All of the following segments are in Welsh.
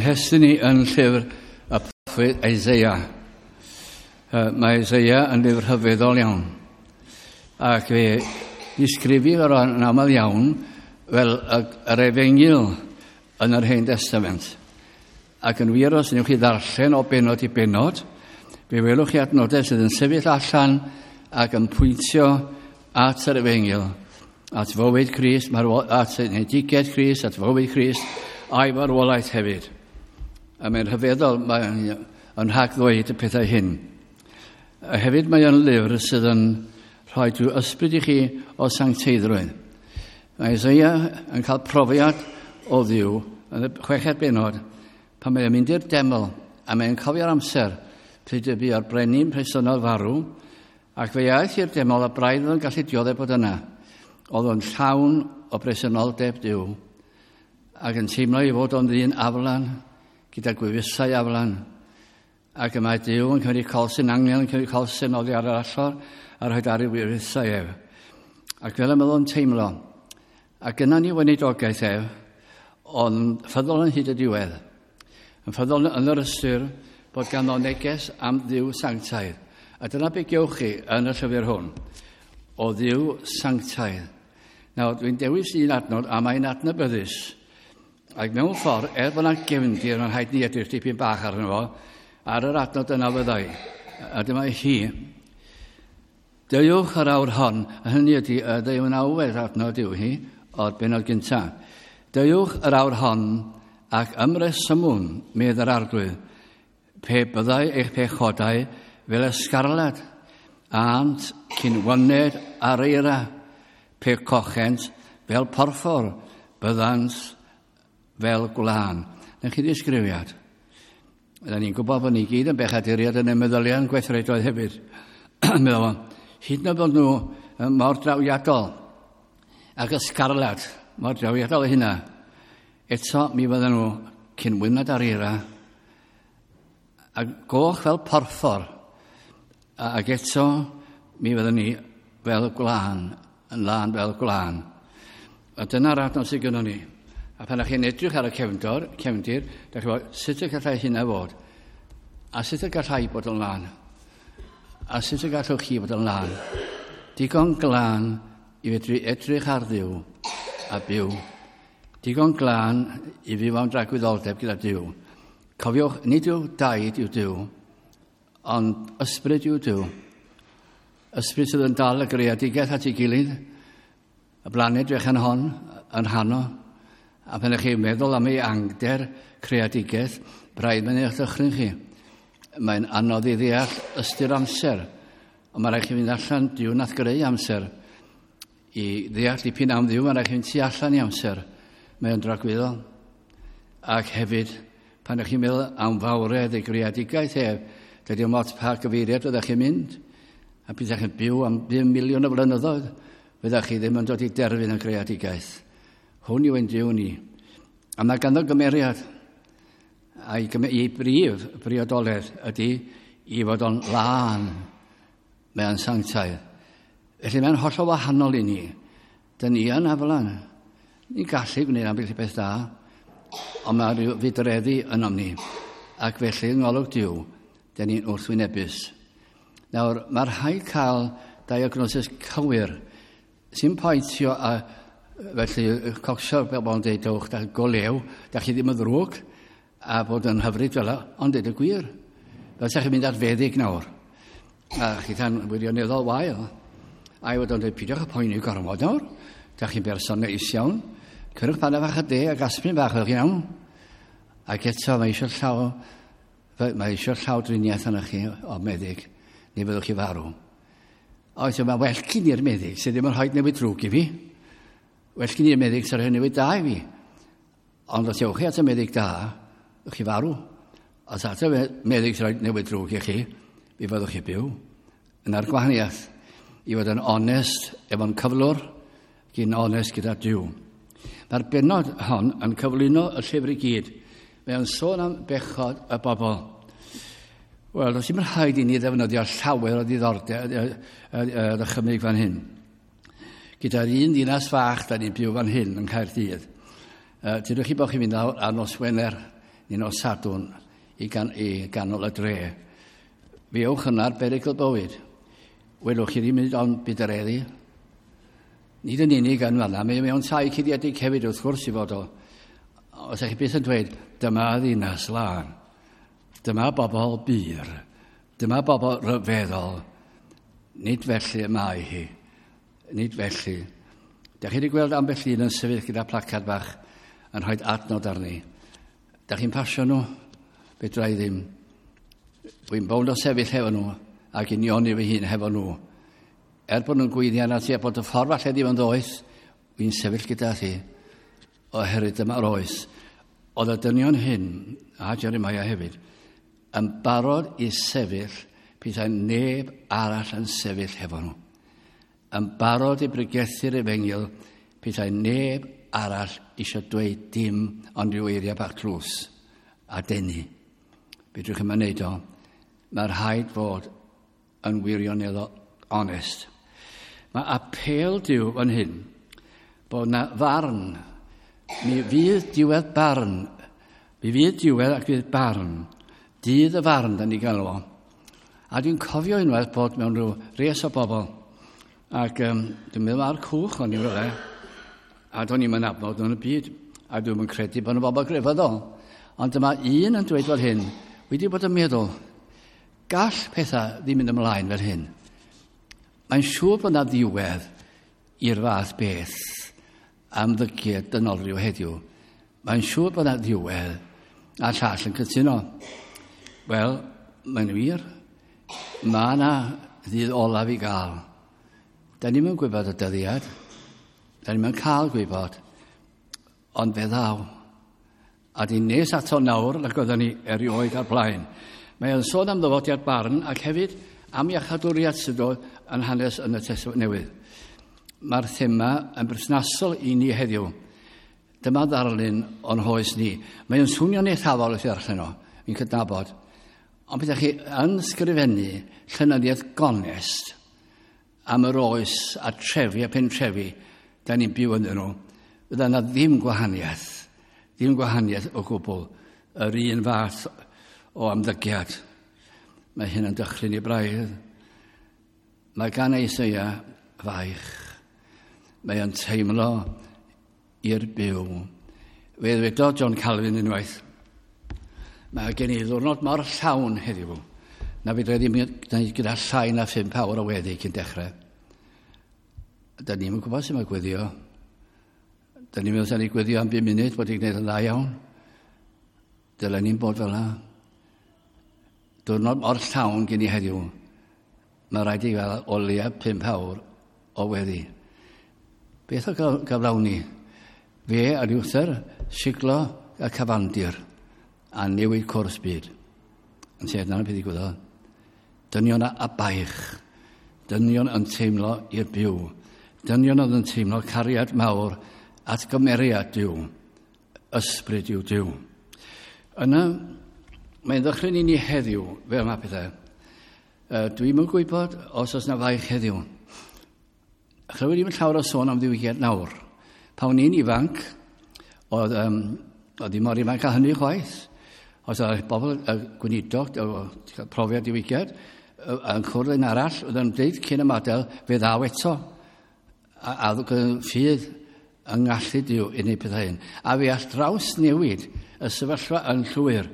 Hestyn ni yn llyfr y proffwyd Isaiah. Mae Isaiah yn lyfr rhyfeddol iawn. Ac fe ddisgrifir o'r yn aml iawn fel yr efengyl yn yr Hen Testament. Ac yn wir, os wnewch chi ddarllen o benod i benod, fe welwch chi adnodau sydd yn sefyll allan ac yn pwyntio at yr efengyl, at fywyd Crist, at enedigaeth Crist, at fywyd Crist, a'i farwolaeth hefyd. A mae'n rhyfeddol, mae'n yn rhag ddweud y pethau hyn. A hefyd mae o'n lyfr sydd yn rhoi drwy ysbryd i chi o sancteiddrwydd. Mae Isaiah yn cael profiad o Dduw yn y chweched benod pan mae'n mynd i'r deml a mae'n cofio'r amser pryd y bu o'r brenin presennol farw, ac fe aeth i'r deml a braidd oedd yn gallu dioddef bod yna. Oedd o'n llawn o bresenoldeb Duw ac yn teimlo ei fod o'n ddyn aflan, gyda gwefusau aflan. Ac y mae Duw yn cymryd colsyn, angel yn cymryd colsyn oddi ar yr allor a rhoi ar ei wefusau ef. Ac fel y mae o'n teimlo. Ac yna ni weinidogaeth ef, ond ffyddol yn hyd y diwedd. Yn ffyddol yn yr ystyr bod ganddo neges am Dduw sanctaidd. A dyna be gewch chi yn y llyfr hwn, o Dduw sanctaidd. Nawr, dwi'n dewis un adnod, a mae'n adnabyddus. Ac mewn ffordd, er bod yna gefndir, mae'n rhaid ni edrych dipyn bach arno fo, ar yr adnod yna fyddai. A dyma hi. Deuwch yr awr hon, a hynny ydy y ddeunawfed adnod yw hi, o'r benod gyntaf. Deuwch yr awr hon ac ymresymwn, medd yr Arglwydd, pe byddai eich pechodau fel ysgarlad, ânt cyn wyned ar eira, pe cochent fel porffor, byddant fel gwlân. Na chi ddisgrifiad. Yna ni'n gwybod bod ni gyd yn bechaduriad yn y meddyliau yn gweithredoedd hefyd. Meddwl, hyd yn oed bod nhw mor drawiadol ac ysgarlad, mor drawiadol hynna, eto mi fydden nhw cyn wyned ar eira a goch fel porffor, ac eto mi fydden ni fel gwlân, yn lân fel gwlân. A dyna'r adnod sydd gynnon ni. A pan ydych chi'n edrych ar y cefndor, cefndir, da chi'n gwybod sut y gallai hynna fod? A sut y gallai bod yn lân? A sut y gallwch chi fod yn lân? Digon glân i fedru edrych ar Dduw a byw. Digon glân i fyw am dragwyddoldeb gyda Duw. Cofiwch, nid yw daid yw Duw, ond ysbryd yw Duw. Ysbryd sydd yn dal y greadigaeth at ei gilydd, y blaned fechan hon yn rhan o. A pan ydych chi'n meddwl am ei angder creadigaeth, braidd mae'n eich dychryn chi. Mae'n anodd i ddeall ystyr amser, ond mae rhaid chi fynd allan, Duw nath greu amser. I ddeall dipyn am Dduw, mae rhaid chi fynd tu allan i amser. Mae o'n dragwyddol. Ac hefyd, pan ydych chi'n meddwl am fawredd ei greadigaeth ef, dydy o'm ots pa gyfeiriad fyddech chi'n mynd, a byddech chi'n byw am 5 miliwn o flynyddoedd, fyddech chi ddim yn dod i derfyn y greadigaeth. Hwn yw ein Duw ni. A mae ganddo gymeriad. A'i ei brif briodoledd ydy i fod o'n lân. Mae o'n sanctaidd. Felly mae'n hollol wahanol i ni. Dyn ni yn aflan. Ni'n gallu gwneud ambell i beth da, ond mae rhyw fudreddi ynom ni. Ac felly yng ngolwg Duw, dyn ni'n wrthwynebus. Nawr, mae rhaid cael diagnosis cywir sy'n poetio a felly cocsio'r bobl yn dweud, dewch, da go lew, da chi ddim yn ddrwg, a bod yn hyfryd fel yna, ond dweud y gwir. Fel sa chi'n mynd at feddyg nawr, a chi tan wirioneddol wael, a i fod o'n dweud, peidiwch â poeni gormod nawr, da chi'n berson neis iawn, cyrwch paned fach o de ac aspirin bach, fel chi'n iawn. Ac eto, mae eisiau llaw, mae eisiau llaw driniaeth arnoch chi o meddyg, neu fyddwch chi farw. Oes, mae well gyn i'r meddyg sydd ddim yn rhoi newid drwg i fi. Well gyn i'r meddyg sy'n rhoi newid da i fi. Ond os ewch chi at y meddyg da, ywch chi farw. Os at y meddyg sy'n rhoi newid drwg i chi, mi fyddwch chi byw. Yna'r gwahaniaeth, i fod yn onest efo'n cyflwr, gyn onest gyda Duw. Mae'r bennod hon yn cyflwyno y llyfr i gyd. Mae o'n sôn am bechod y bobl. Wel, does dim rhaid i ni ddefnyddio llawer o ddiddordeb ddychymyg fan hyn. Gyda'r un ddinas fach da ni'n byw fan hyn yn Caerdydd. Dydych chi bod chi'n mynd lawr ar nos Wener Ni nos Sadwrn i, gan, i ganol y dre. Fe ewch yna ar berygl bywyd. Welwch chi ddim ond budreddi. Nid yn unig yn fanna, mae mewn tai cuddiedig hefyd wrth gwrs i fod o. Os ydych chi byth yn dweud, dyma ddinas lân. Dyma bobl bur. Dyma bobl rhyfeddol. Nid felly y mae hi. Nid felly. Dach chi wedi gweld ambell un yn sefyll gyda placard bach yn rhoi adnod arni. Dach chi'n pasio nhw? Fedra i ddim. Dwi'n bownd o sefyll hefo nhw ac unioni fy hun hefo nhw. Er bod nhw'n gweiddi arna ti a bod y ffordd falle ddim yn ddoeth, wy'n sefyll gyda thi oherwydd dyma'r oes. Oedd y dynion hyn, a Jeremiah hefyd, yn barod i sefyll petai neb arall yn sefyll hefo nhw. Yn barod i bregethu'r efengyl petai neb arall eisiau dweud dim ond rhyw eiriau bach tlws a denu. Fedrwch chi'm yn neud o. Mae rhaid fod yn wirioneddol onest. Mae apêl Duw fan hyn bod na farn. Mi fydd diwedd barn. Mi fydd diwedd ac fydd barn. Dydd y farn, da ni galw o. A dwi'n cofio unwaith bod mewn rhyw res o bobl. Ac dwi'n meddwl ar cwch o'n i rywle. A do'n i'm yn nabod nhw'n y byd. A dwi'm yn credu bod nhw'n bobl grefyddol. Ond dyma un yn dweud fel hyn, wedi bod yn meddwl, gall pethau ddim mynd ymlaen fel hyn. Mae'n siŵr bod yna ddiwedd i'r fath beth am ddygiad dynolryw heddiw. Mae'n siŵr bod yna ddiwedd a llall yn cytuno. Wel, mae'n wir. Mae yna ddydd olaf i gael. Da ni'm yn gwybod y dyddiad. Da ni'm yn cael gwybod. Ond fe ddaw. A di nes ato nawr nag oedden ni erioed ar blaen. Mae o'n sôn am ddyfodiad barn ac hefyd am iachadwriaeth sydd dod yn hanes yn y Testament Newydd. Mae'r thema yn berthnasol i ni heddiw. Dyma ddarlun o'n hoes ni. Mae o'n swnio'n eithafol wrth i ddarllen o, fi'n cydnabod. Ond bydda chi yn sgrifennu llenyddiaeth gonest am yr oes a trefi a pentrefi da ni'n byw ynddyn nhw, fydda yna ddim gwahaniaeth, ddim gwahaniaeth o gwbl, yr un fath o ymddygiad. Mae hyn yn dychryn i braidd. Mae gan Eseia faich. Mae o'n teimlo i'r byw. Fe ddwedodd John Calvin unwaith, mae gen i ddwrnod mor llawn heddiw, na fedra i ddim gyda llai na 5 awr o weddi cyn dechrau. Da ni'm yn gwybod sut mae gweddio. Da ni'n meddwl ni gweddio am 5 munud bod i'n gwneud yn dda iawn. Dylen ni'n bod fel yna. Diwrnod mor llawn gen i heddiw. Mae rhaid i gael o leia 5 awr o weddi. Beth o gyflawni? Fe a Luther siglo y cyfandir a newid cwrs byd. Yn lle dyna beth ddigwyddodd. Dynion a baich. Dynion yn teimlo i'r byw. Dynion oedd yn teimlo cariad mawr at gymeriad Duw. Ysbryd yw Duw. Yna, mae'n ddychryn i ni heddiw, fel mae pethau. Dwi'm yn gwybod os oes na faich heddiw. Chlywed i'n llawer o sôn am ddiwygiad nawr. Pa o'n i'n ifanc, oedd, oedd ddim mor ifanc â hynny chwaith. Os oedd bobl y gweinidog, profiad diwygiad, yn cwrdd un arall, oedd yn dweud cyn ymadael, fe ddaw eto. A ffydd yng ngallu Duw i wneud pethau hyn. A fe all draws newid y sefyllfa yn llwyr.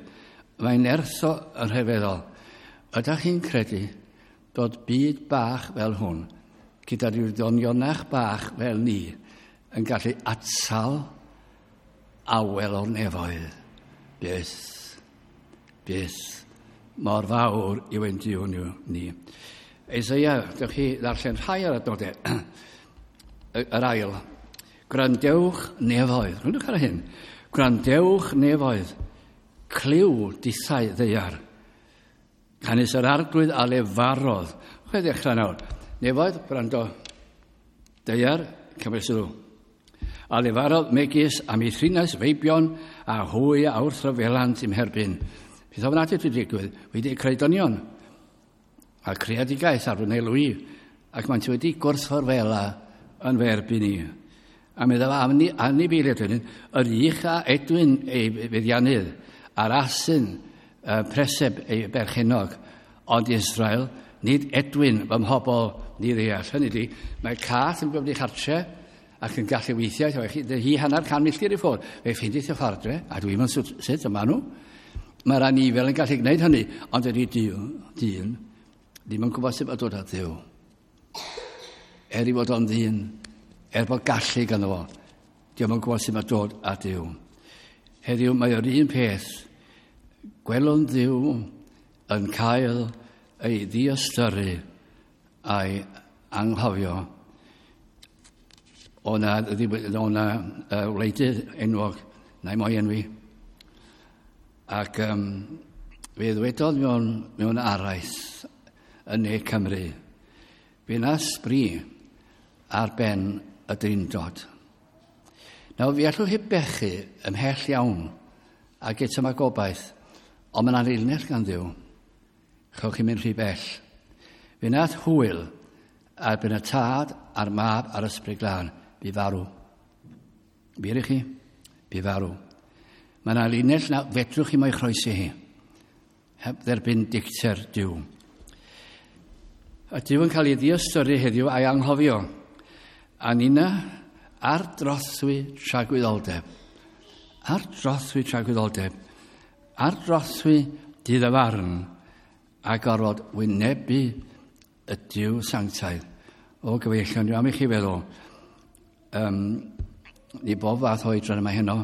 Mae'n nertho yn rhyfeddol. Ydych chi'n credu bod byd bach fel hwn, gyda rhyw ddonionach bach fel ni, yn gallu atal awel o'r nefoedd? Byth, byth, mor fawr yw ein Duw ni. Eseia, dewch chi ddarllen rhai o'r adnodau. Yr ail. Gwrandewch nefoedd. Gwrandewch ar hyn. Gwrandewch nefoedd. Clyw dithau ddaear. Canys yr arglwydd a lefarodd. Chwe ddechrau nawr. Nefoedd, gwrando. Daear, cymryd sylw. A lefarodd megis am ei thrines feibion a hwy a wrthryfelant i'm herbyn. Peth ofnadwy wedi digwydd, wedi creu dynion a creadigaeth ar fy nelw i, ac maent wedi gwrthryfela yn fy erbyn i. A meddwl anifeiliaid wedyn, yr ych a edwyn ei feddiannydd, a'r asyn preseb ei berchenog, ond Israel, nid edwyn fy mhobl ni ddeall. Hynny ydi, mae cath yn gwybod ei chartre ac yn gallu weithiau, hi 150 milltir i ffwrdd, fe ffeindiith y ffordd, a dwi'n mynd sut, sut yma nhw. Mae'r anifel yn gallu gwneud hynny, ond ydy dyn ddim yn gwybod sut mae dod at Dduw. Er i fod o'n ddyn, er bod gallu ganddo fo, dio'm yn gwybod sut mae dod at Dduw. Heddiw mae o'r un peth, gwelwn Dduw yn cael ei ddiystyru a'i anghofio. O na, o na wleidydd enwog, na i mo'i enwi. Ac fe ddwedodd mewn araith yn Ne Cymru, fe na sbri ar ben y drindod. Nawr, fi allwch chi bechu ymhell iawn ac eto mae gobaith, ond mae'n anilnell gan Dduw. Chewch chi mynd rhy bell. Fe nath hwyl ar ben y tad a'r mab a'r ysbryd glân, bu farw. Wir i chi, bu farw. Mae yna linell na fedrwch chi mo'i chroesi hi, heb dderbyn dicter Duw. A Duw yn cael ei ddiystyru heddiw a'i anghofio. A nina ar drothwy tragwyddoldeb. Ar drothwy tragwyddoldeb. Ar drothwy dydd y farn a gorfod wynebu y Duw sanctaidd. O gyfeillion, dwi am i chi feddwl, ni bob fath oedran yma heno,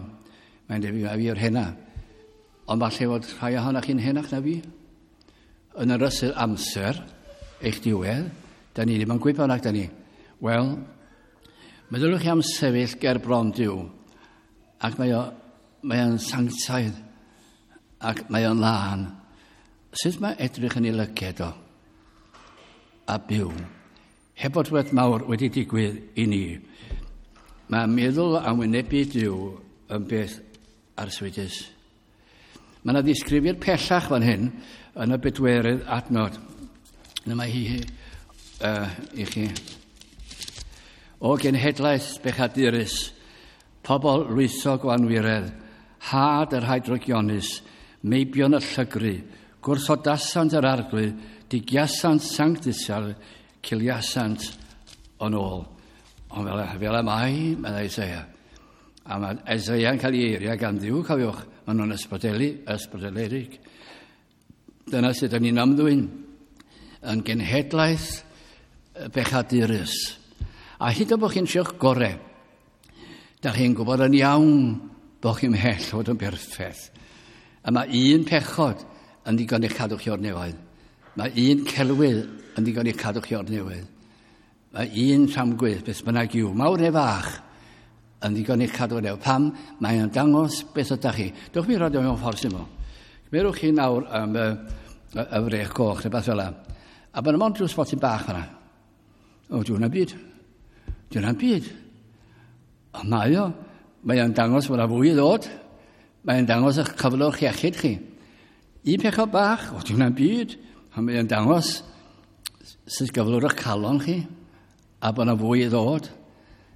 mae'n debyg a fi o'r hena, ond falle fod rhai ohonoch chi'n henach na fi. Yn yr ysyr amser, eich diwedd, da ni ddim yn gwybod nac da ni. Wel, meddyliwch chi am sefyll ger bron Duw, ac mae o'n sanctaidd, ac mae o'n lân. Sut mae edrych yn ei lyged o? A byw. Heb fod rhywbeth mawr wedi digwydd i ni. Mae meddwl am wynebu Duw yn beth arswydus. Mae yna ddisgrifiad pellach fan hyn yn y bedwerydd adnod. Dyma hi i chi. O genhedlaeth bechadurus, pobl lwythog o anwiredd, had yr hydrogionus, meibion y llygru, gwrthodasant yr arglwydd, digiasant sanctisial, ciliasant o'n ôl. Ond fel y mae, meddai Isaia. A mae Isaiah'n cael ei eiriau gan Dduw, cofiwch, maen nhw'n ysbrydoledig. Dyna sut ydyn ni'n ymddwyn yn genhedlaeth bechadurus. A hyd yn bod chi'n trio'ch gorau, da chi'n gwybod yn iawn bod chi'n mhell fod yn berffaith. A mae un pechod yn ddigon i'ch cadw chi o'r nefoedd. Mae un celwydd yn ddigon i'ch cadw chi o'r nefoedd. Mae un tramgwydd, beth bynnag yw, mawr neu fach, yn ddigon i'ch cadw o'r nefoedd. Pam? Mae'n dangos beth ydych chi. Dewch mi roed o mewn ffordd syml. Cymerwch chi nawr am y frech goch neu beth fel yna. A bod yna mond rhyw spotyn bach fan'na. O, di hwnna'n byd. Di hwnna'n byd. Ond mae o. Mae o'n dangos bod yna fwy i ddod. Mae o'n dangos eich cyflwr iechyd chi. Un pechod bach, o, di hwnna'n byd. Ond mae o'n dangos sut gyflwr eich calon chi, a bod yna fwy i ddod.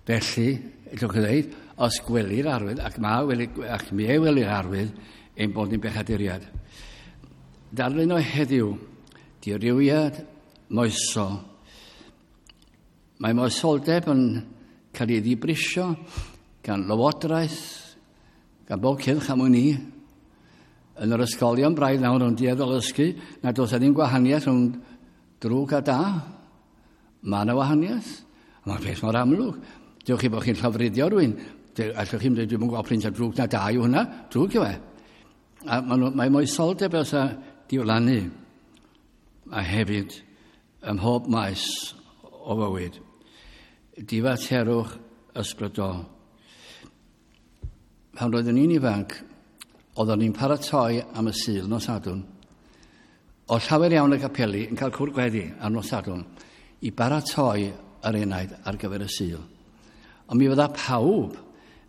Felly, allwch chi ddweud, os gwelir arwydd, ac mi e welir arwydd, ein bod ni'n bechaduriad. Darlun o heddiw, dirywiad moesol. Mae moesoldeb yn cael ei ddibrisio gan lywodraeth, gan bob cylch am wn i. Yn yr ysgolion braidd nawr yn dueddol ddysgu nad oes ddim gwahaniaeth rhwng drwg a da. Mae yna wahaniaeth. Mae'n peth mor amlwg. Dewch chi bod chi'n llofruddio rhywun. Allwch chi'n dweud, dwi'm yn gweld print o drwg na da yw hwnna. Drwg yw e. A mae moesoldeb fel sa diflannu. A hefyd, ym mhob maes o fywyd, difaterwch ysbrydol. Pan roeddwn i'n ifanc, oeddwn ni'n paratoi am y Sul nos Sadwrn. O llawer iawn y capeli yn cael cwrdd gweddi ar nos Sadwrn i baratoi yr enaid ar gyfer y Sul. Ond mi fydda pawb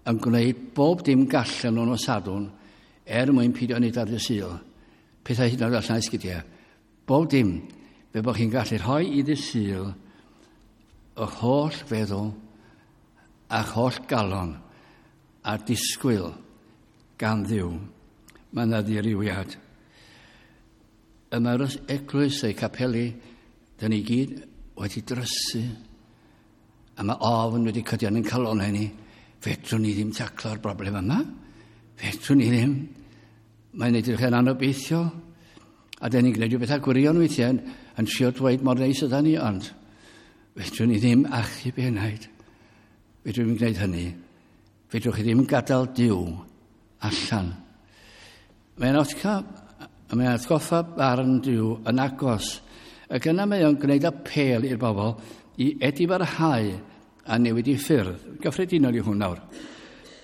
yn gwneud bob dim gallen nhw nos Sadwrn er mwyn peidio wneud ar y Sul. Pethau hyd yn oed allan esgidiau. Bob dim, fe bod chi'n gallu rhoi i ddydd Sul eich holl feddwl a'ch holl galon a disgwyl gan Dduw. Mae yna ddirywiad. Y mae'r eglwys ei capeli, dyn ni gyd wedi drysu. A mae ofn wedi cydio yn calon ni. Fedrwn ni ddim taclo'r broblem yma. Fedrwn ni ddim. Mae'n edrych yn anobeithiol. A dyn ni'n gwneud rhyw bethau gwirion weithiau yn, yn trio dweud mor neis ydyn ni, ond fedrwn ni ddim achub enaid. Fedrwn ni'n gwneud hynny. Fedrwch chi ddim gadael Duw allan. Mae'n mae'n atgoffa barn Duw yn agos. Ac yna mae o'n gwneud apêl i'r bobl i edifarhau a newid i ffyrdd. Gyffredinol i hwn nawr.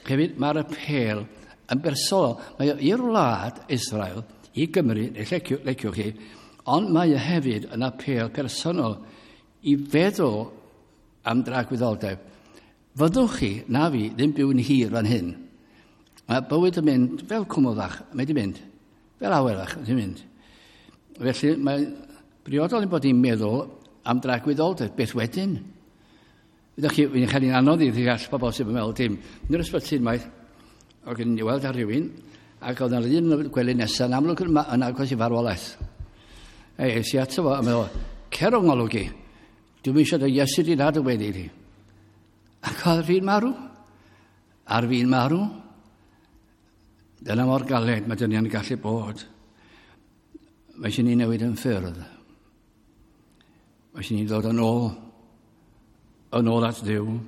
Hefyd, mae'r apêl yn bersonol. Mae o i'r wlad Israel, i Gymru, neu leciwch, leciwch chi, ond mae o hefyd yn apêl personol i feddwl am dragwyddoldeb. Fyddwch chi, na fi, ddim byw'n hir fan hyn. Mae bywyd yn mynd fel cwmwl fach, mae di mynd. Fel awyr fach, mae di mynd. Felly mae briodol ein bod ni'n meddwl am dragwyddoldeb, beth wedyn? Ydych chi, fi'n chael hi'n anodd i ddeall pobl sydd yn meddwl dim. Yn yr ysbyty unwaith, oedd gen i weld ar rhywun, ac oedd yna'r un yn y gwely nesaf, yn amlwg yn, yn agos i farwolaeth. Ei, es i ato fo, a meddwl, cer o'n ngolwg i. Dwi'm eisiau dy Iesu di nad y wedi di. Ac oedd fi'n marw. Ar fi'n marw. Dyna mor galed mae dynion yn gallu bod. Mae eisiau ni newid yn ffyrdd. Mae eisiau ni ddod yn ôl, yn ôl at Dduw.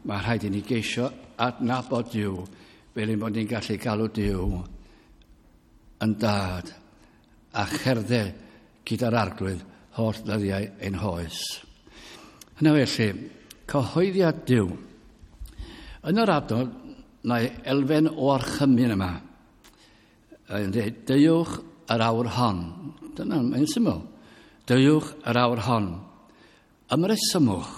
Mae rhaid i ni geisio adnabod Duw fel ein bod ni'n gallu galw Duw yn dad a cherdded gyda'r arglwydd holl ddyddiau ein hoes. Yna felly, cyhoeddiad Duw. Yn yr adnod, mae elfen o orchymyn yma. Yn dweud, deuwch yr awr hon. Dyna, mae'n syml. Deuwch yr awr hon. Ymresymwch,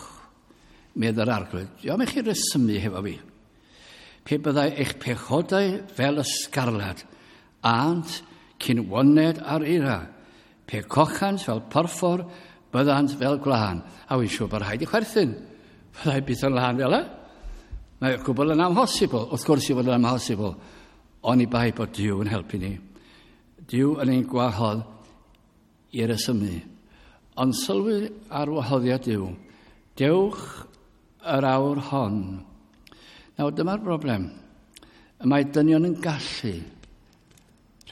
medd yr arglwydd. Diolch i chi resymu hefo fi. Pe byddai eich pechodau fel ysgarlad, ant cyn woned ar eira. Pe cochant fel porffor, byddant fel gwlân. A wy'n siŵr bod rhaid i chwerthin. Byddai byth yn lân fel e. Mae gwbl yn amhosibl. Wrth gwrs i fod yn amhosibl. Oni bai bod Duw yn helpu ni. Duw yn ein gwahodd i resymu. Ond sylwi ar wahoddiad Duw. Dewch yr awr hon. Nawr, dyma'r broblem. Y mae dynion yn gallu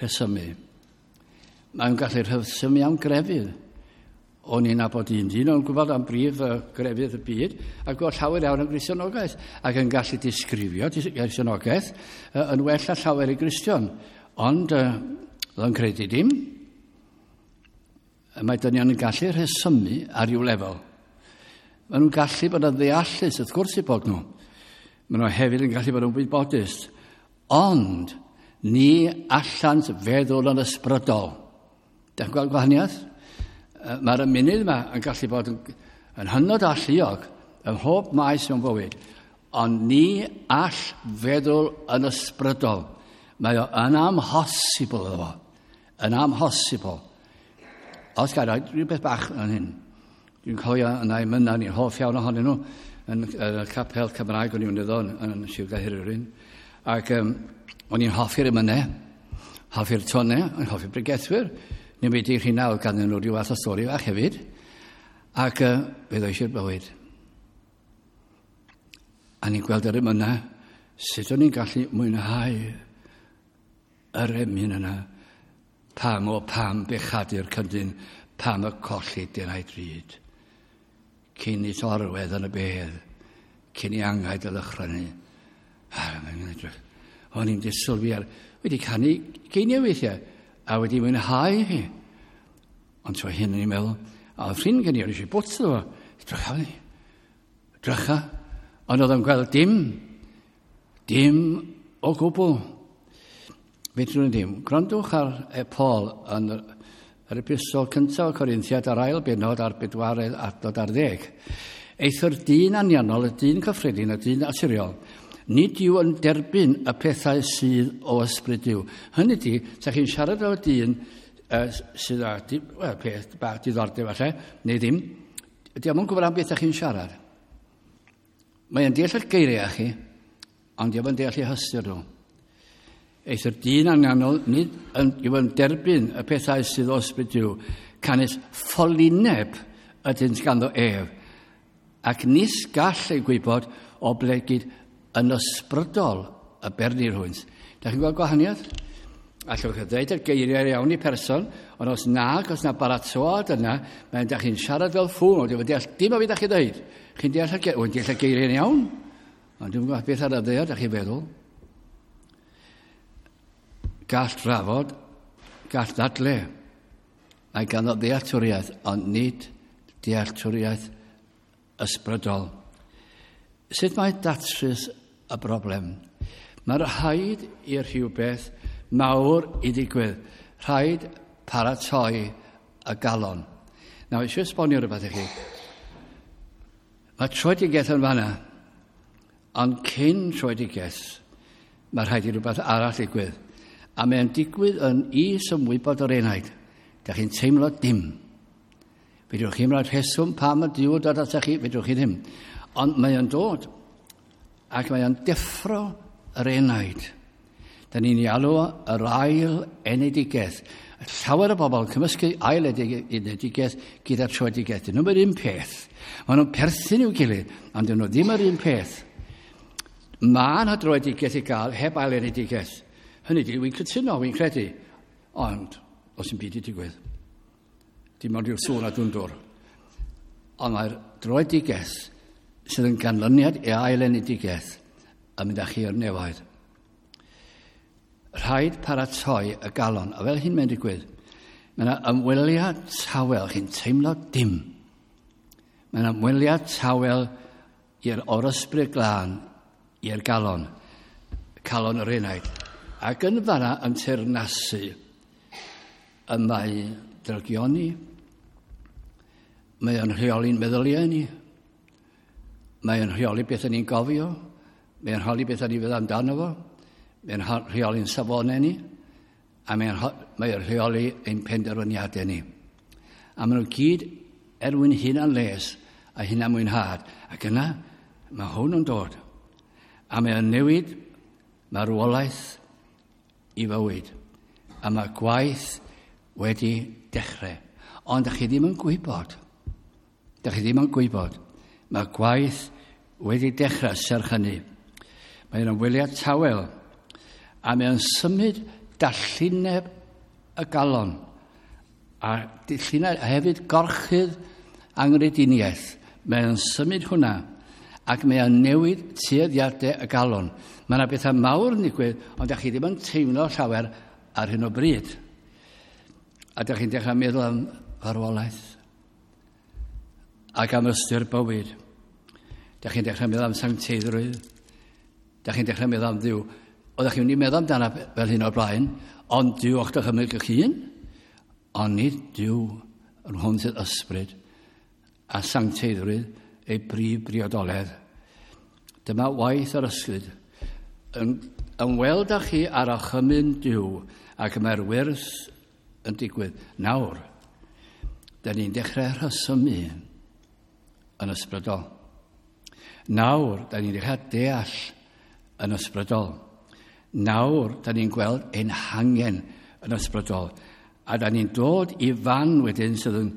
rhesymu. Mae'n gallu rhesymu am grefydd. O'n i'n nabod un dyn, o'n gwybod am brif grefydd y byd, a gwybod llawer iawn am Gristionogaeth, ac yn gallu disgrifio Gristionogaeth yn well na llawer i Gristion. Ond oedd o'n credu dim. Mae dynion yn gallu rhesymu ar ryw lefel. Maen nhw'n gallu bod yn ddeallus, wrth gwrs i bod nhw. Maen nhw hefyd yn gallu bod yn wybodus. Ond ni allant feddwl yn ysbrydol. Dych chi'n gweld gwahaniaeth? Mae'r ymennydd yma yn gallu bod yn, yn hynod alluog ym mhob maes mewn bywyd, ond ni all feddwl yn ysbrydol. Mae o yn amhosibl iddo fo. Yn amhosibl. Os gael rhoi rhywbeth bach yn hyn. Dwi'n cofio yna i mynna, ni'n hoff iawn ohonyn nhw, yn, yn y capel Cymraeg o'n i'n mynd iddo yn, yn Sir Gaerhirfryn. Ac o'n i'n hoffi'r emynau, hoffi'r tonau, o'n i'n hoffi'r bregethwyr. Ni'n wedi rhywna oedd ganddyn nhw rhyw fath o stori fach hefyd. Ac fe ddoes i'r bywyd. A ni'n gweld yr emynau, sut o'n i'n gallu mwynhau yr emyn yna. Pam o pam bechadu'r cyndyn, pam y colli dyn drud. Cyn i torwedd yn y bedd, cyn i angau dy ddychryn. Mae'n edrych. O'n i'n disylwi ar, wedi canu geiniau weithiau, a wedi mwynhau hi. Ond tro hyn o'n i'n meddwl, a oedd ffrind gen i, o'n i eisiau bwt iddo fo. Drycha fi. Drycha. Ond oedd o'n gweld dim. Dim o gwbl. Fedrwn ni ddim. Gwrandwch ar e Paul yn yr epistol cyntaf o Corinthiad a'r ail benod a'r bedwaredd adnod ar ddeg. Eithr dyn anianol, y dyn cyffredin, y dyn naturiol, nid yw yn derbyn y pethau sydd o ysbryd Duw. Hynny ydy, sa chi'n siarad efo dyn sydd â well, peth bach diddordeb falle, neu ddim, ydy o'm yn gwybod am beth ydych chi'n siarad. Mae'n deall eich geiriau chi, ond di o'm yn deall eu hystyr nhw. Eithr dyn anganol nid yn, yw yn derbyn y pethau sydd o ysbryd Duw, canys ffolineb ydynt ganddo ef, ac nis gall ei gwybod o blegid yn ysbrydol y bernir hwynt. Da chi'n gweld gwahaniaeth? Allwch chi ddweud y geiriau iawn i person, ond os nag, os na baratoad yna, mae'n da chi'n siarad fel ffŵl, ond dwi'n deall dim o fi da chi ddweud. Chi'n deall y, deall y geiriau'n iawn, ond dwi'n gwybod beth ar y ddaear da chi'n feddwl. Gall drafod, gall ddadle. Mae ganddo ddealltwriaeth, ond nid dealltwriaeth ysbrydol. Sut mae datrys y broblem? Mae rhaid i'r rhywbeth mawr i ddigwydd. Rhaid paratoi y galon. Nawr, eisiau esbonio rhywbeth i chi. Mae troedigaeth yn fanna, ond cyn troedigaeth, mae rhaid i rhywbeth arall ddigwydd. A mae'n digwydd yn is-ymwybod o'r enaid. Da chi'n teimlo dim. Fedrwch chi'n rhoi rheswm pam y Duw dod atach chi, fedrwch chi ddim. Ond mae o'n dod ac mae o'n deffro yr enaid. Da ni'n ei alw yr ail enedigaeth. Llawer o bobl yn cymysgu ail enedigaeth gyda'r troedigaeth. Dyn nhw'n yr un peth. Maen nhw'n perthyn i'w gilydd, ond dyn nhw ddim yr un peth. Mae yna droedigaeth i gael heb ail enedigaeth. Hynny di, wy'n cytuno, wy'n credu. Ond, os yn byd i digwydd. Dim ond yw'r sŵn a dwndwr. Ond mae'r droedigaeth sydd yn ganlyniad i ail enedigaeth yn mynd â chi i'r nefoedd. Rhaid paratoi y galon, a fel hyn mae'n digwydd, mae yna ymweliad tawel, chi'n teimlo dim. Mae yna ymweliad tawel i'r o'r ysbryd glân, i'r galon, calon yr enaid. Ac yn fanna yn teyrnasu y mae drygioni, mae o'n rheoli'n meddyliau ni, mae o'n rheoli beth ni'n gofio, mae o'n rheoli beth ni'n feddwl amdano fo, mae'n rheoli'n safonau ni, a mae'n mae o'n rheoli ein penderfyniadau ni. A maen nhw gyd er mwyn hunan les a hunan mwynhad. Ac yna, mae hwn yn dod. A mae o'n newid marwolaeth i fywyd. A mae gwaith wedi dechrau. Ond ydych chi ddim yn gwybod. Ydych chi ddim yn gwybod. Mae gwaith wedi dechrau serch hynny. Mae'n ymweliad tawel a mae'n symud dallineb y galon a dillineb, a hefyd gorchudd angrediniaeth. Mae'n symud hwnna ac mae'n newid tueddiadau y galon. Mae yna bethau mawr yn digwydd, ond ydych chi ddim yn teimlo llawer ar hyn o bryd. A ydych chi'n dechrau meddwl am farwolaeth ac am ystyr bywyd. Ydych chi'n dechrau meddwl am sancteiddrwydd. Ydych chi'n dechrau meddwl am Dduw. Oeddech chi'n mynd i meddwl amdano fel hyn o'r blaen, ond Duw o'ch dychymyg eich hun, ond nid Duw yn hwn sydd ysbryd a sancteiddrwydd ei brif briodoledd. Dyma waith yr ysbryd yn ymweld â chi ar orchymyn Duw ac mae'r wyrth yn digwydd nawr. Da ni'n dechrau rhesymu yn ysbrydol. Nawr, da ni'n dechrau deall yn ysbrydol. Nawr, da ni'n gweld ein hangen yn ysbrydol. A da ni'n dod i fan wedyn sydd yn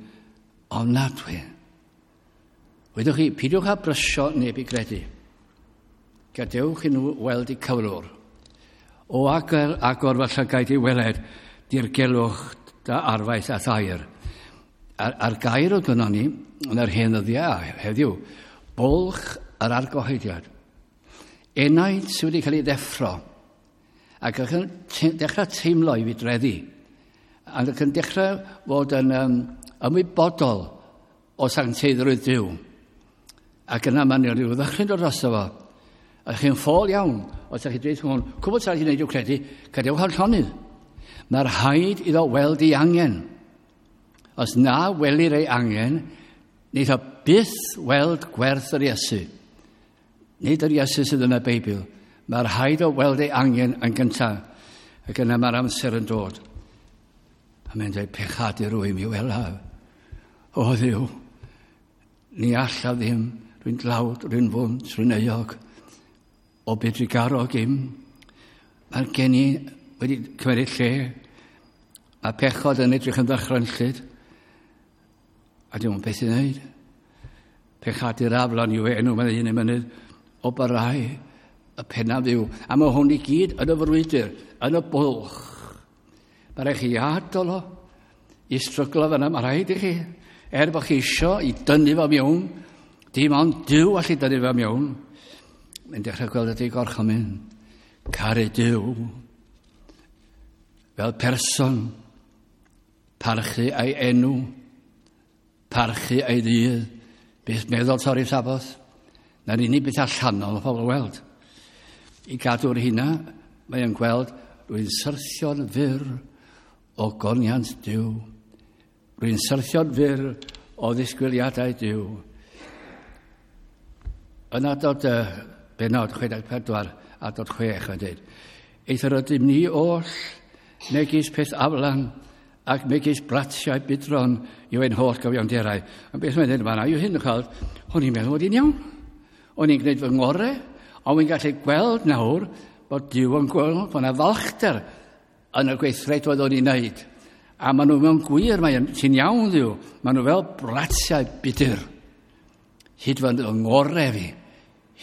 ofnadwy. Wedwch chi, peidiwch â brysio neb i gredu. Gadewch i nhw weld eu cyflwr. O agor, agor fy llygaid i weled dirgelwch dy arfaeth a'th air. A'r, a'r gair oedd gynnon ni yn yr hen ddyddiau heddiw, bwlch yr argyhoeddiad. Enaid sydd wedi cael ei ddeffro ac yn dechrau teimlo i fudreddi ac yn dechrau fod yn ymwybodol o sancteiddrwydd Duw. Ac yna mae'n rhyw ddychryn dod drosto fo. A chi'n ffôl iawn, os ydych chi'n dweud hwn, cwbl sy'n rhaid i wneud yw credu, gadewch ar llonydd. Mae'r rhaid iddo weld ei angen. Os na welir ei angen, wneith o byth weld gwerth yr Iesu. Nid yr Iesu sydd yn y Beibl. Mae'r rhaid o weld ei angen yn gyntaf. Ac yna mae'r amser yn dod. A mae'n dweud, pechadur rwy mi welaf. O Dduw, ni allaf ddim, rwy'n dlawd, rwy'n fwnt, rwy'n euog. O byd trugarog im. Mae'r geni wedi cymryd lle. Mae pechod yn edrych yn ddychrynllyd. A dim ond beth i wneud. Pechadur aflan yw enw, mae'n un y mynydd, o barau y pennaf yw. A mae hwn i gyd yn y frwydr, yn y bwlch. Mae rhaid chi adael o i stryglo fyna, mae rhaid i chi. Er bod chi isio i dynnu fo mewn, dim ond Duw allu dynnu fo mewn. Mae'n dechrau gweld ydy gorchymyn. Caru Duw. Fel person, parchu ei enw, parchu ei ddydd, beth meddwl torri'r Saboth. Na'r unig beth allanol o pobl weld. I gadw'r hynna, mae'n gweld rwy'n syrthio'n fyr o goniant Duw. Rwy'n syrthio'n fyr o ddisgwyliadau Duw. Yn adod benod 64, adod 6, mae'n dweud, Eithr ydym ni oll, megis peth aflan, ac megis bratiau budron yw ein holl gyfiawnderau. Ond beth mae'n dweud fan'na yw hyn, chweld, o'n i'n meddwl bod i'n iawn. O'n i'n gwneud fy ngorau, ond wy'n gallu gweld nawr bod Duw yn gweld bod yna falchder yn y gweithredoedd o'n i'n wneud. A maen nhw mewn gwir, mae'n ti'n iawn Dduw, maen nhw fel bratiau budur. Hyd fy ngorau fi,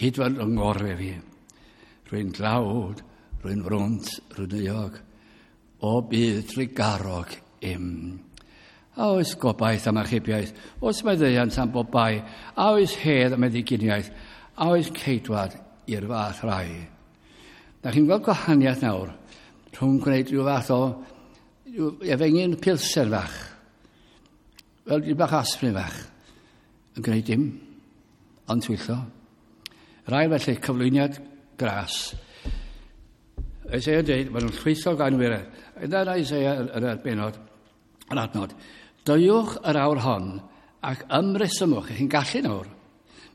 hyd fy ngorau fi. Rwy'n dlawd, rwy'n frwnt, rwy'n euog, o bydd trugarog im. A oes gobaith am achubiaeth, oes maddeuant am bob bai, a oes hedd am eddiginiaeth, a oes ceidwad i'r fath rai. Da chi'n gweld gwahaniaeth nawr rhwng gwneud rhyw fath o efengyn pilsen fach, fel rhyw bach aspirin fach, yn gwneud dim, ond twyllo. Rai felly cyflwyniad gras. Isaiah yn dweud, maen nhw'n llwytho gan wiredd. Yna Isaiah yn yr benod, yr adnod. Deuwch yr awr hon ac ymresymwch, chi'n gallu nawr,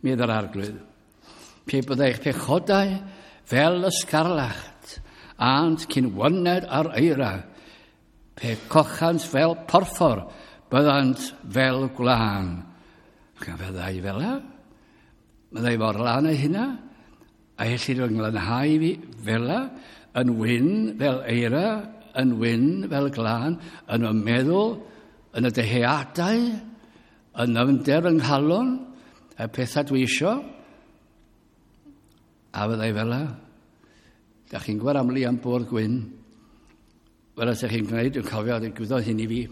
medd yr arglwydd. Pe byddai eich pechodau fel ysgarlacht, ant cyn wyned ar eira, pe cochant fel porffor, byddant fel gwlân. Ac fyddai fel la? Byddai mor lân ei hynna? A ellir fy nglanhau fi fel la? Yn wyn fel eira, yn wyn fel glân, yn y meddwl, yn y dyheadau, yn nyfnder yng nghalon, y pethau dwi isio, a fyddai fel la. Da chi'n gwybod am Liam Bwrdd Gwyn, fel ydych chi'n gwneud, dwi'n cofio, digwyddodd hyn i fi,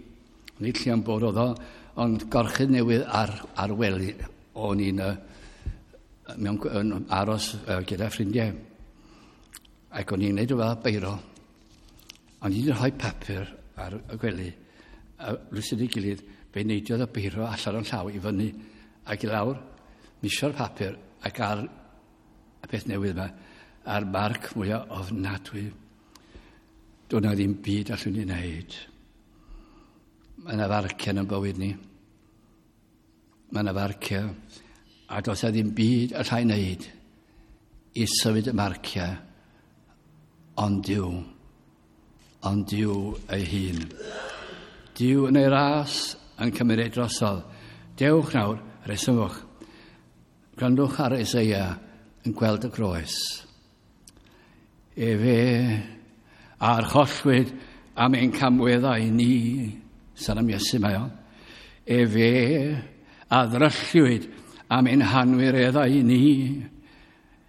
nid Liam Bwrdd oedd o, ond gorchudd newydd ar wely, o'n i'n mewn aros gyda ffrindiau. Ac o'n i'n gwneud o fel beiro. O'n i'n rhoi papur ar y gwely, a rhywsut ei gilydd, fe neidiodd y beiro allan o'n llaw i fyny ac i lawr, misio'r papur ac ar y peth newydd yma, a'r marc mwyaf ofnadwy. Doedd na ddim byd allwn ni wneud. Mae yna farciau yn bywyd ni. Mae yna farciau, a does na ddim byd allai wneud i symud y marciau, ond Duw, ond Duw ei hun. Duw yn ei ras yn cymryd ei drosodd. Dewch nawr, resymwch. Gwrandwch ar Isaiah yn gweld y groes. Efe archollwyd am ein camweddau ni, sôn am Iesu mae o. Efe a ddrylliwyd am ein hanwireddau ni.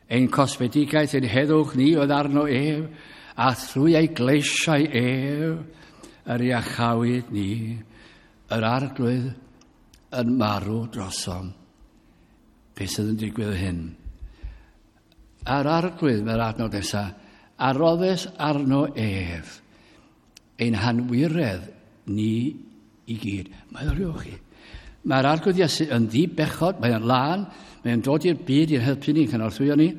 Ein cosmedigaeth, ein heddwch ni oedd arno ef, a thrwy ei gleisiau ef, yr iachawyd ni, yr arglwydd yn marw drosom. Beth sydd yn digwydd hyn? A'r arglwydd, mae'r adnod nesaf, a roddes arno ef, ein hanwiredd ni i gyd. Mae o'r chi. Mae'r arglwydd Iesu yn ddibechod, mae'n lân, mae'n dod i'r byd i'n helpu ni, cynorthwyo ni,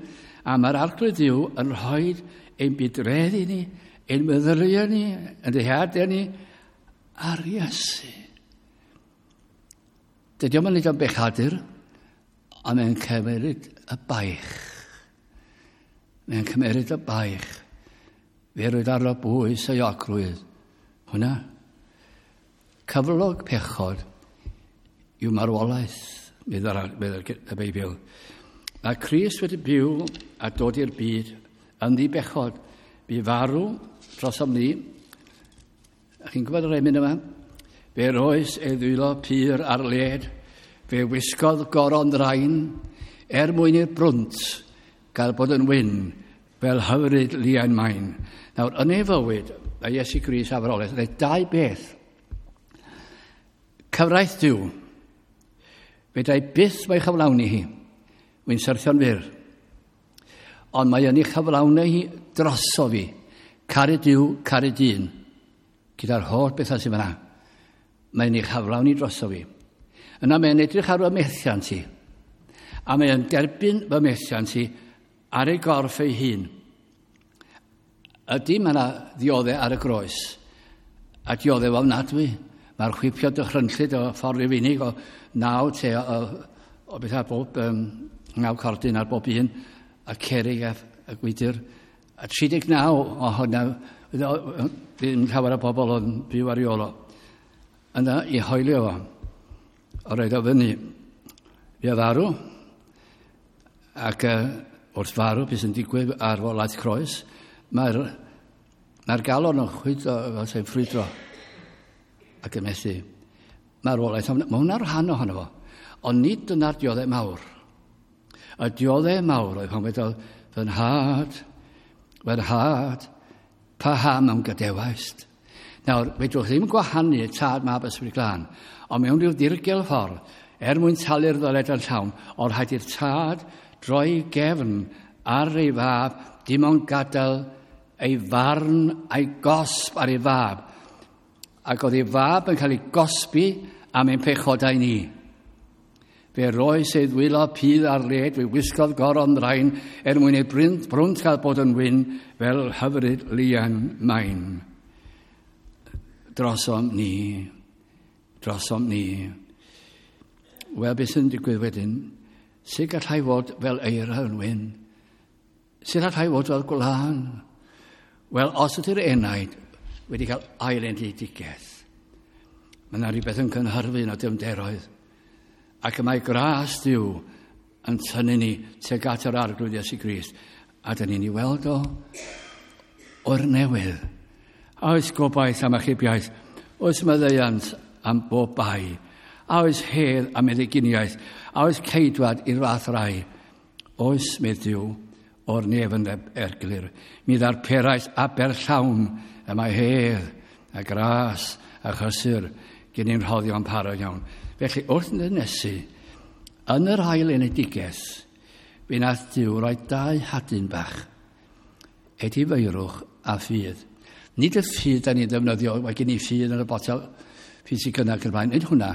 a mae'r arglwydd Dduw yn rhoi ein bydredd i ni, ein meddyliau ni, ein dyheadau ni, ar Iesu. Dydy o'm yn neud o'n bechadur, ond mae'n cymryd y baich. Mae'n cymryd y baich. Fe roedd arno bwys ei ogrwydd. Hwna. Cyflog pechod yw marwolaeth, meddwl y Beibl. Mae Crist wedi byw a dod i'r byd yn ddibechod. Bu farw drosom ni. A chi'n gwybod yr emyn yma? Fe roes ei ddwylo pur ar led, fe wisgodd goron ddrain, er mwyn i'r brwnt gael bod yn wyn, fel hyfryd liain main. Nawr, yn ei fywyd, a Iesu Grist a farwolaeth, roedd dau beth. Cyfraith Duw, fedrai byth mae chyflawni hi, wy'n syrthio'n fyr. Ond mae yn ei chyflawni hi droso fi. Caru Duw, caru dyn. Gyda'r holl bethau sydd fyna. Mae'n ei chyflawni droso fi. Yna mae'n edrych ar fy methiant i. A mae'n derbyn fy methiant i ar ei gorff ei hun. Ydy mae yna ddioddau ar y groes. A dioddau ofnadwy. Mae'r chwipio dychrynllyd o ffordd Rufeinig o 9 te o beth ar bob, 9 cordyn ar bob un, a cerig a gwydr. A 39 o hwnna, ddim llawer o bobl o'n byw ar ei ôl o. Yna i hoelio fo, o roed o fyny. Fi a farw, ac wrth farw, beth sy'n digwydd ar folaeth croes, mae'r mae galon yn chwydro, fel sy'n ffrwydro, ac yn methu. Mae'r wolaeth, mae hwnna'n rhan ohono fo. Ond nid dyna'r dioddau mawr. Y dioddau mawr oedd pan wedodd, fy nhad, paham am gadewaist? Nawr, fedrwch ddim gwahanu tad, mab, ysbryd glân, ond mewn rhyw ddirgel ffordd, er mwyn talu'r ddyled yn llawn, o'r rhaid i'r tad droi gefn ar ei fab, dim ond gadael ei farn a'i gosb ar ei fab. Ac oedd ei fab yn cael ei gosbi am ein pechodau ni. Fe roes ei ddwylo pudd ar led, fe wisgodd goron ddrain, er mwyn ei brwnt cael bod yn wyn, fel hyfryd lian main. Drosom ni, drosom ni. Wel, beth sy'n digwydd wedyn? Sut gallai fod fel eira yn wyn? Sut gallai fod fel gwlân? Wel, os ydy'r enaid wedi cael ailenedigaeth, mae yna rhywbeth yn cynhyrfu yn y dyfnderoedd. Ac y mae gras Duw yn tynnu ni tuag at yr Arglwydd Iesu Grist. A dyn ni'n ei weld o o'r newydd. A oes gobaith am achubiaeth? Oes maddeuant am bob bai? A oes hedd am meddyginiaeth? A oes ceidwad i'r fath rai? Oes, medd Duw, o'r nef yn erglyr. Mi ddarperais aber llawn y mae hedd a gras a chysur gen i'n rhoddion parod iawn. Felly, wrth nynesu, yn yr ail enedigaeth, fe nath Duw roi dau hadyn bach, edifeirwch a ffydd. Nid y ffydd da ni'n ddefnyddio, mae gen i ffydd yn y botel, ffydd sy'n gynnal ac yn blaen, nid hwnna.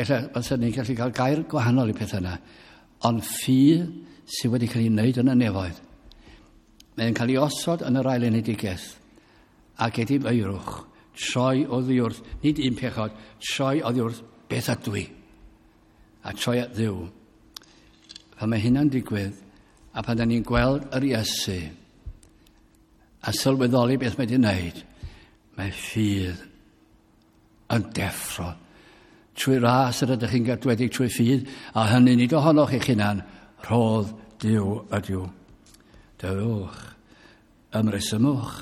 Ella, fysa ni'n gallu cael gair gwahanol i pethau yna, ond ffydd sydd wedi cael ei wneud yn y nefoedd. Mae'n cael ei osod yn yr ail enedigaeth, ac edifeirwch, troi oddi wrth, nid un pechod, troi oddi wrth beth ydw i, a troi at Dduw. Pan mae hynna'n digwydd, a pan da ni'n gweld yr Iesu, a sylweddoli beth mae wedi wneud, mae ffydd yn deffro. Trwy ras yr ydych chi'n gadwedig trwy ffydd, a hynny nid ohonoch eich hunan, rhodd Duw ydyw. Dewch, ymresymwch,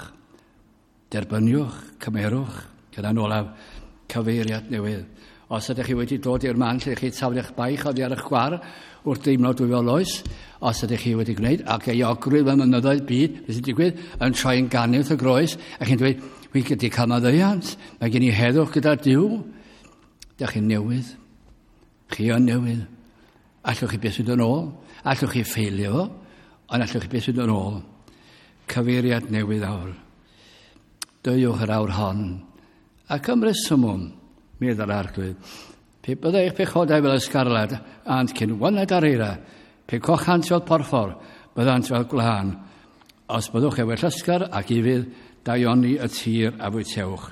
derbyniwch, cymerwch, gyda'n olaf, cyfeiriad newydd. Os ydych chi wedi dod i'r man lle chi taflu'ch baich oddi ar eich gwar wrth deimlo dwyfol oes, os ydych chi wedi gwneud, ac euogrwydd fy mynyddoedd byd, beth sy'n digwydd, yn troi'n ganu wrth y groes, a chi'n dweud, wi wedi cael maddeuant, mae gen i heddwch gyda Duw. Dych chi'n newydd. Chi yn newydd. Allwch chi beth sydd yn ôl, allwch chi ffeilio fo, ond allwch chi beth sydd yn ôl. Cyfeiriad newydd awr. Deuwch yr awr hon, ac ymresymwn, medd yr Arglwydd. Pe byddai eich pechodau fel ysgarlad, ant cyn wyned ar eira, pe cochant fel porffor, byddant fel gwlân. Os byddwch efo llysgar ac ufudd, daioni y tir a fwytewch.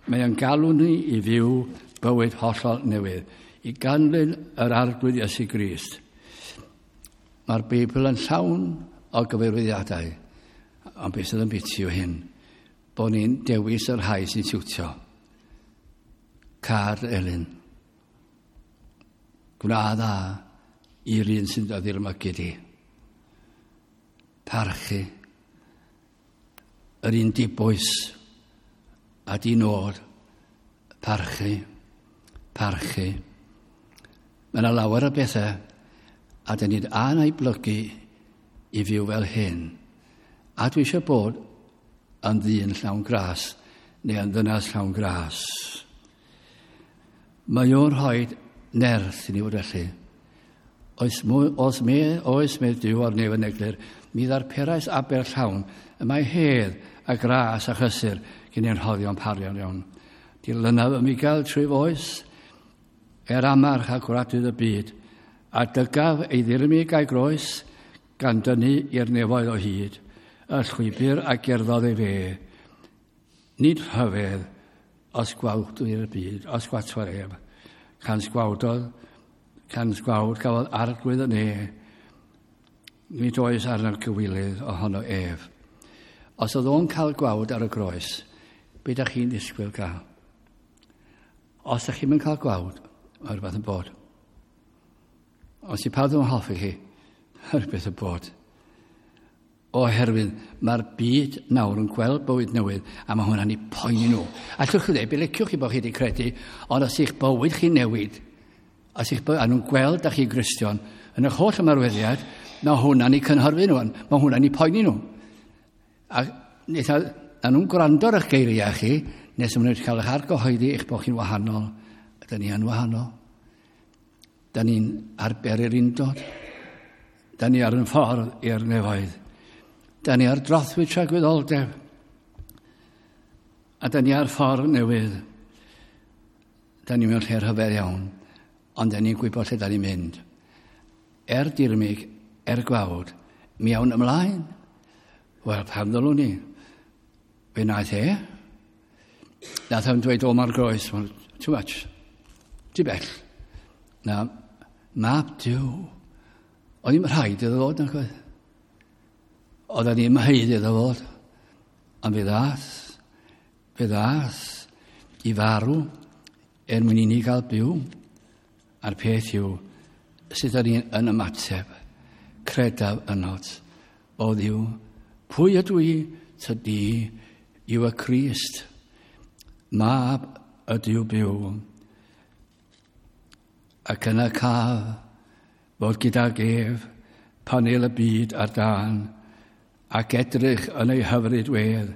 Mae yn galw ni i fyw bywyd hollol newydd, i ganlyn yr Arglwydd Iesu Grist. Mae'r Beibl yn llawn o gyfarwyddiadau, ond beth sydd yn biti yw hyn, bod ni'n dewis y rhai sy'n siwtio. Car Elin. Gwna dda i'r un sy'n dod i'r mygu di. Parchu. Yr un dibwys a di nod, parchu, parchu. Mae yna lawer o bethau a dyn ni'n a'n blygu i fyw fel hyn. A dwi eisiau bod yn ddyn llawn gras neu yn ddynas llawn gras. Mae o'n rhoi nerth i ni fod felly. Oes, mwy, os me, oes medd Duw o'r nef yn eglur, mi ddarperais aber llawn, y mae hedd a gras a chysur gen i'n rhoddion parion iawn. Dilynaf y migael trwy foes, er amarch a gwradydd y byd, a dygaf ei ddirmig a'i groes, gan dynnu i'r nefoedd o hyd, y llwybr a gerddodd ei fe. Nid rhyfedd os gwawd i'r byd, os gwatwar ef, can sgwawdodd, can sgwawd gafodd arglwydd y ne, nid oes arno'r cywilydd ohono ef. Os oedd o'n cael gwawd ar y groes, be da chi'n ddisgwyl gael? Os da chi'n mynd cael gwawd, mae rhywbeth yn bod. Os i pawb ddim yn hoffi chi, mae rhywbeth yn bod. Oherwydd mae'r byd nawr yn gweld bywyd newydd a mae hwnna'n ei poeni nhw. Allwch chi ddweud, be liciwch chi bod chi wedi credu, ond os eich bywyd chi'n newid, os eich bywyd, a nhw'n gweld da chi Gristion, yn eich holl ymarweddiad, mae hwnna'n ei cynhyrfu nhw, mae hwnna'n ei poeni nhw. A, a, a nhw'n gwrando ar eich geiriau chi, nes maen nhw wedi cael eich argyhoeddi eich bod chi'n wahanol. Da ni yn wahanol. Da ni'n arber i'r undod. Da ni ar yn ffordd i'r nefoedd. Da ni ar drothwy tragwyddoldeb. A da ni ar ffordd newydd. Da ni mewn lle rhyfedd iawn, ond da ni'n gwybod lle da ni'n mynd. Er dirmyg, er gwawd, mi awn ymlaen. Wel, pam ddylwn ni? Fe wnaeth e. Nath o'n dweud, o, mae'r groes, too much. Too bell. Na, mab Duw. Oedd ddim rhaid iddo fod, nag oedd? Oedd ddim haeddu iddo fod. Ond fe ddath, fe ddath i farw er mwyn i ni gael byw. A'r peth yw, sut ydyn ni yn ymateb, credaf ynot, o Dduw, pwy ydw i, tydi yw y Crist, mab ydyw byw. Ac yna caf fod gydag ef panel y byd ar dân, ac edrych yn ei hyfryd wedd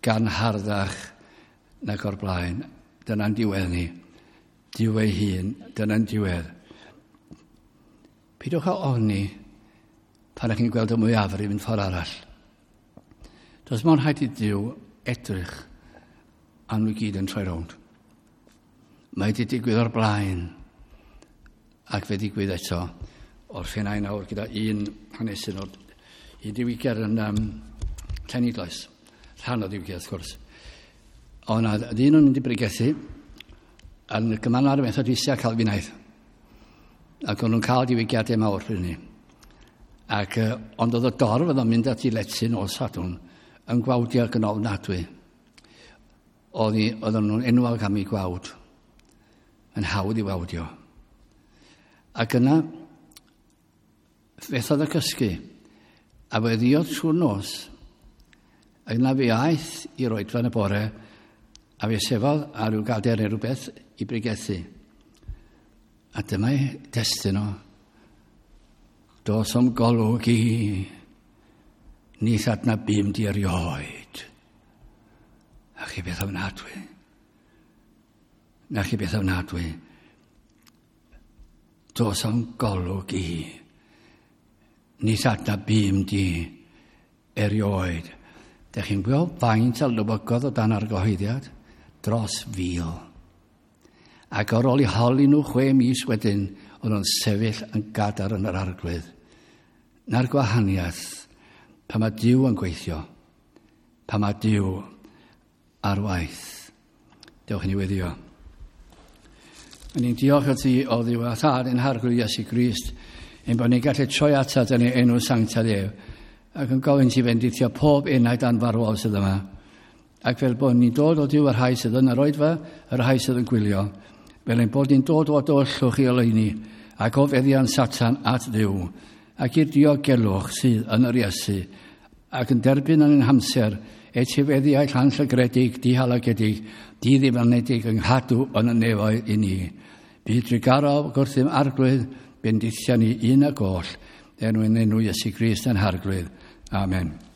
gan harddach nag o'r blaen. Dyna'n diwedd ni. Duw ei hun, dyna'n diwedd. Peidiwch â ofni pan ydych chi'n gweld y mwyafrif yn ffordd arall. Does mo'n rhaid i Dduw edrych am nhw gyd yn troi rownd. Mae wedi digwydd o'r blaen ac fe digwydd eto o'r ffenau nawr gyda un hanesyn o'r un diwygiad yn Llanidloes. Rhan o ddiwygiad, wrth gwrs. Ond na ddyn o'n mynd i bregethu yn y gymanwlad Methodistiaid Calfinaidd. Ac o'n nhw'n cael diwygiadau mawr pryd hynny. Ac, ond oedd y dorf oedd o'n mynd at ei lety nos Sadwrn yn gwawdio ac yn ofnadwy. Oedden nhw'n enwog am ei gwawd. Yn hawdd i wawdio. Ac yna, fethodd y cysgu. A fe ddiodd trwy'r nos. Ac yna fe aeth i'r oedfa yn y bore, a fe sefodd ar ryw gader neu rhywbeth i bregethu. A dyma'i destun o. Dos o'm golwg i, nith adnabûm di erioed. A chi beth ofnadwy. Na chi beth ofnadwy. Dos o'm golwg i, nith adnabûm di erioed. Dech chi'n gweld faint a lywygodd o dan argyhoeddiad? Dros 1,000. Ac ar ôl i holi nhw 6 mis wedyn, o'n nhw'n sefyll yn gadar yn yr arglwydd. Na'r gwahaniaeth, pan mae Duw yn gweithio, pan mae Duw ar waith. Dewch i ni weddio. A ni'n diolch i ti o Dduw a Thad ein Harglwydd Iesu Grist, ein bod ni'n gallu troi atat yn ei enw sanctaidd ef, ac yn gofyn ti fendithio pob enaid anfarwol sydd yma. Ac fel bod ni'n dod o Duw y rhai sydd yn yr oedfa, y rhai sydd yn gwylio, fel ein bod ni'n dod o dywyllwch i oleuni, ac o feddiant Satan at Dduw, ac i'r diogelwch sydd yn yr Iesu, ac yn derbyn yn ein hamser etifeddiau llanllygredig, dihalogedig, diddifanedig yng nghadw yn y nefoedd i ni. Bydd drugarog gwrthym arglwydd, bendithia ni un ag oll, er mwyn enw Iesu Grist yn harglwydd. Amen.